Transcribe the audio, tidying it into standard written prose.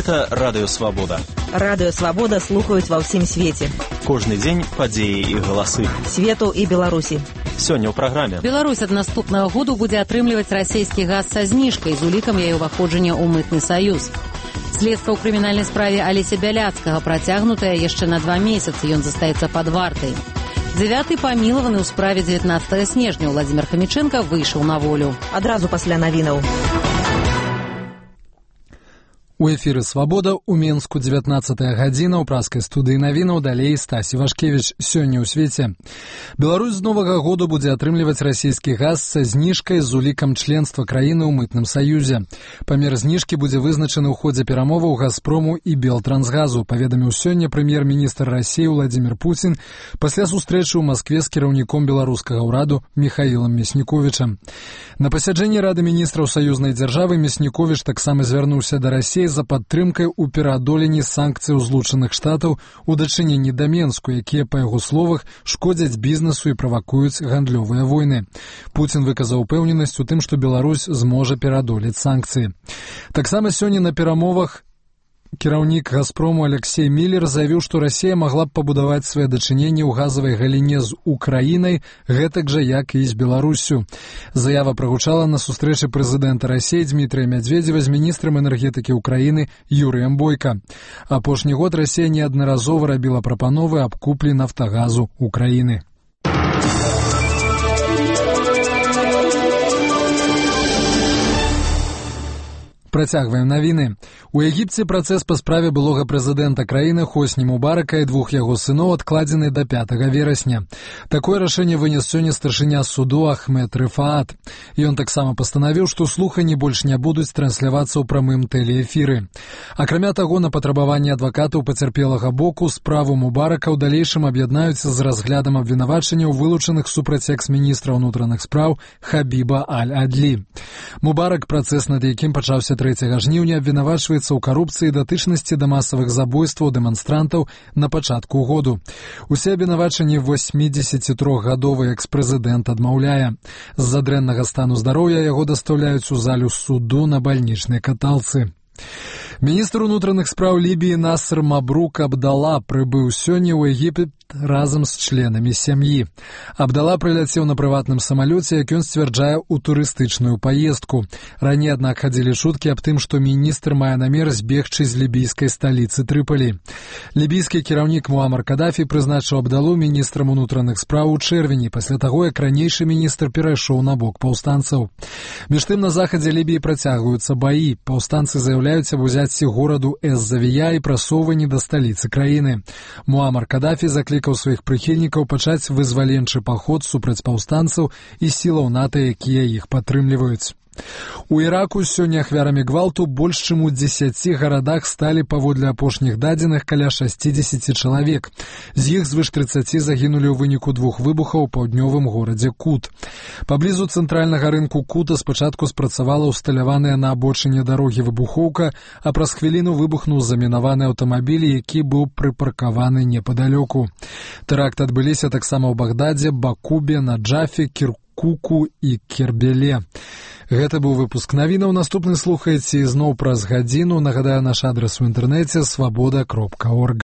Гэта Радыё Свабода. Радыё Свабода слухаюць ва ўсім свеце. Кожны дзень падзеі і галасы. Свету і Беларусі. Сёння ў праграме. Беларусь ад наступнага году будзе атрымліваць расійскі газ са зніжкай з улікам яе ўваходжання ў мытны саюз. Следства ў крымінальнай справе Алеся Бяляцкага працягнутае яшчэ на 2 месяцы. Ён застаецца пад вартай. 9-й памілаваны ў справе 19 снежня Владзімір Хамічэнка выйшаў на волю. Адразу пасля навінаў. У эфіры «Свабода» у Менску 19-я гадзіна, у праскай студыі навінаў, далей Стасі Вашкевіч. Сёння ў свеце. Беларусь з новага году будзе атрымліваць расійскі газ са зніжкай з улікам членства краіны ў мытным саюзе. Памер зніжкі будзе вызначаны ў ходзе перамоваў «Газпрому» і «Белтрансгазу», паведаміў сёння прэм'ер-міністр Расіі Владзімір Пуцін пасля сустрэчы ў Маскве з кіраўніком беларускага ўраду Міхаілам Мясніковічам. На пасяджэнні Рады міністраў саюзнай дзяржавы Мясніковіч таксама звярнуўся да Расіі за падтрымкай у пераадоленні санкцыяў Злучаных Штатаў у дачыненні да Менску, якія, па яго словах, шкодзяць бізнесу і правакуюць гандлёвыя войны. Пуцін выказаў упэўненасць у тым, што Беларусь зможа пераадолець санкцыі. Таксама сёння на перамовах кіраўнік «Газпрому» Алексей Міллер заявіў, што Расія магла б пабудаваць свае дачыненні ў газавай галіне з Украінай, гэтак жа, як і з Беларуссю. Заява прагучала на сустрэчы прэзідэнта Расіі Дмітрыя Мядзведзева з міністрам энергетыкі Украіны Юрыем Бойка. Апошні год Расія неаднаразова рабіла прапановы аб куплі нафтагазу Украіны. Працягваем навіны. У Егіпце працэс па справе былога прэзідэнта краіны Хосні Мубарака і 2 яго сыноў адкладзены да 5 верасня. Такое рашэнне вынес сёння старшыня суду Ахмед Рыфаат. Ён таксама пастанавіў, што слуханні больш не будуць транслявацца ў прамым тэлеэфіры. Акрамя таго, на патрабаванне адвакатаў пацярпелага боку справу Мубарака ў далейшым аб'яднаюцца з разглядам абвінавачанняў вылучаных супраць экс-міністра ўнутраных спраў Хабіба Аль-Адлі. Мубарак, працэс над якім пачаўся 3 жніўня, абвінавачваецца ў карупцыі і датычнасці да масавых забойстваў дэманстрантаў на пачатку году. Усе абвінавачанні 83-гадовы экс-прэзідэнт адмаўляе. З-за дрэннага стану здароўя яго дастаўляюць у залю суду на бальнічнай каталцы. Міністр унутраных спраў Лібіі Насыр Мабрук Абдала прыбыў сёння ў Егіпет разам з членамі сям'і. Абдала прыляцеў на прыватным самалёце, як ён сцвярджае, у турыстычную паездку. Раней, аднак, хадзілі шуткі аб тым, што міністр мае намер збегчы з лібійскай сталіцы Трыпалі. Лібійскі кіраўнік Муамар Кадафі прызначыў Абдалу міністрам унутраных спраў у чэрвені, пасля таго, як ранейшы міністр перайшоў на бок паўстанцаў. Між тым, на захадзе Лібіі працягваюцца баі. Паўстанцы заяўляюць аб узяцці гораду Эз-Завія і прасоўванні да сталіцы краіны. Муамар Кадафі заклікаў сваіх прыхільнікаў пачаць вызваленчы паход супраць паўстанцаў і сілаў НАТО, якія іх падтрымліваюць. У Іраку сёння ахвярамі гвалту больш чым у 10 гарадах сталі, паводле апошніх дадзеных, каля 60 чалавек. З іх звыш 30 загінулі ў выніку 2 выбухаў у паўднёвым горадзе Кут. Паблізу цэнтральнага рынку Кута спачатку спрацавала ўсталяваная на абочыне дарогі выбухоўка, а праз хвіліну выбухнуў замінаваны аўтамабіль, які быў прыпаркаваны непадалёку. Тэракты адбыліся таксама ў Багдадзе, Бакубе, Наджафе, Кіркуку і Кербеле. Гэта быў выпуск навінаў. Наступны слухаеце ізноў праз гадзіну. Нагадаю, наш адрас у інтэрнэце свабода.орг.